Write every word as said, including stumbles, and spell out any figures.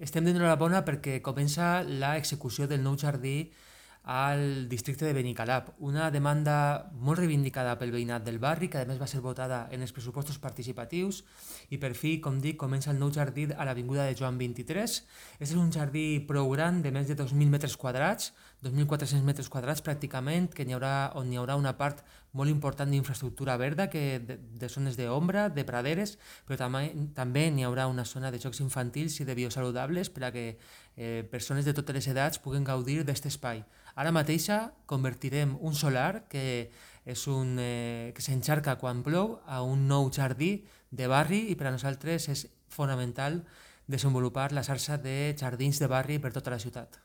Estem donant l'enhorabona perquè comença l'execució del nou jardí al districte de Benicalap, una demanda molt reivindicada pel veïnat del barri, que a més va ser votada en els pressupostos participatius, i per fi, com dic, comença el nou jardí a l'avinguda de Joan vint-i-tres. Aquest és un jardí prou gran, de més de dos mil metres quadrats, dos mil quatre-cents metres quadrats pràcticament, que n'hi haurà, on hi haurà una part molt important d'infraestructura verda, que de, de zones d'ombra, de praderes, però també, també n'hi haurà una zona de jocs infantils i de biosaludables per a que eh, persones de totes les edats puguen gaudir d'aquest espai. Ara mateixa convertirem un solar, que és un, eh, que s'encharca quan plou, a un nou jardí de barri, i per a nosaltres és fonamental desenvolupar la xarxa de jardins de barri per tota la ciutat.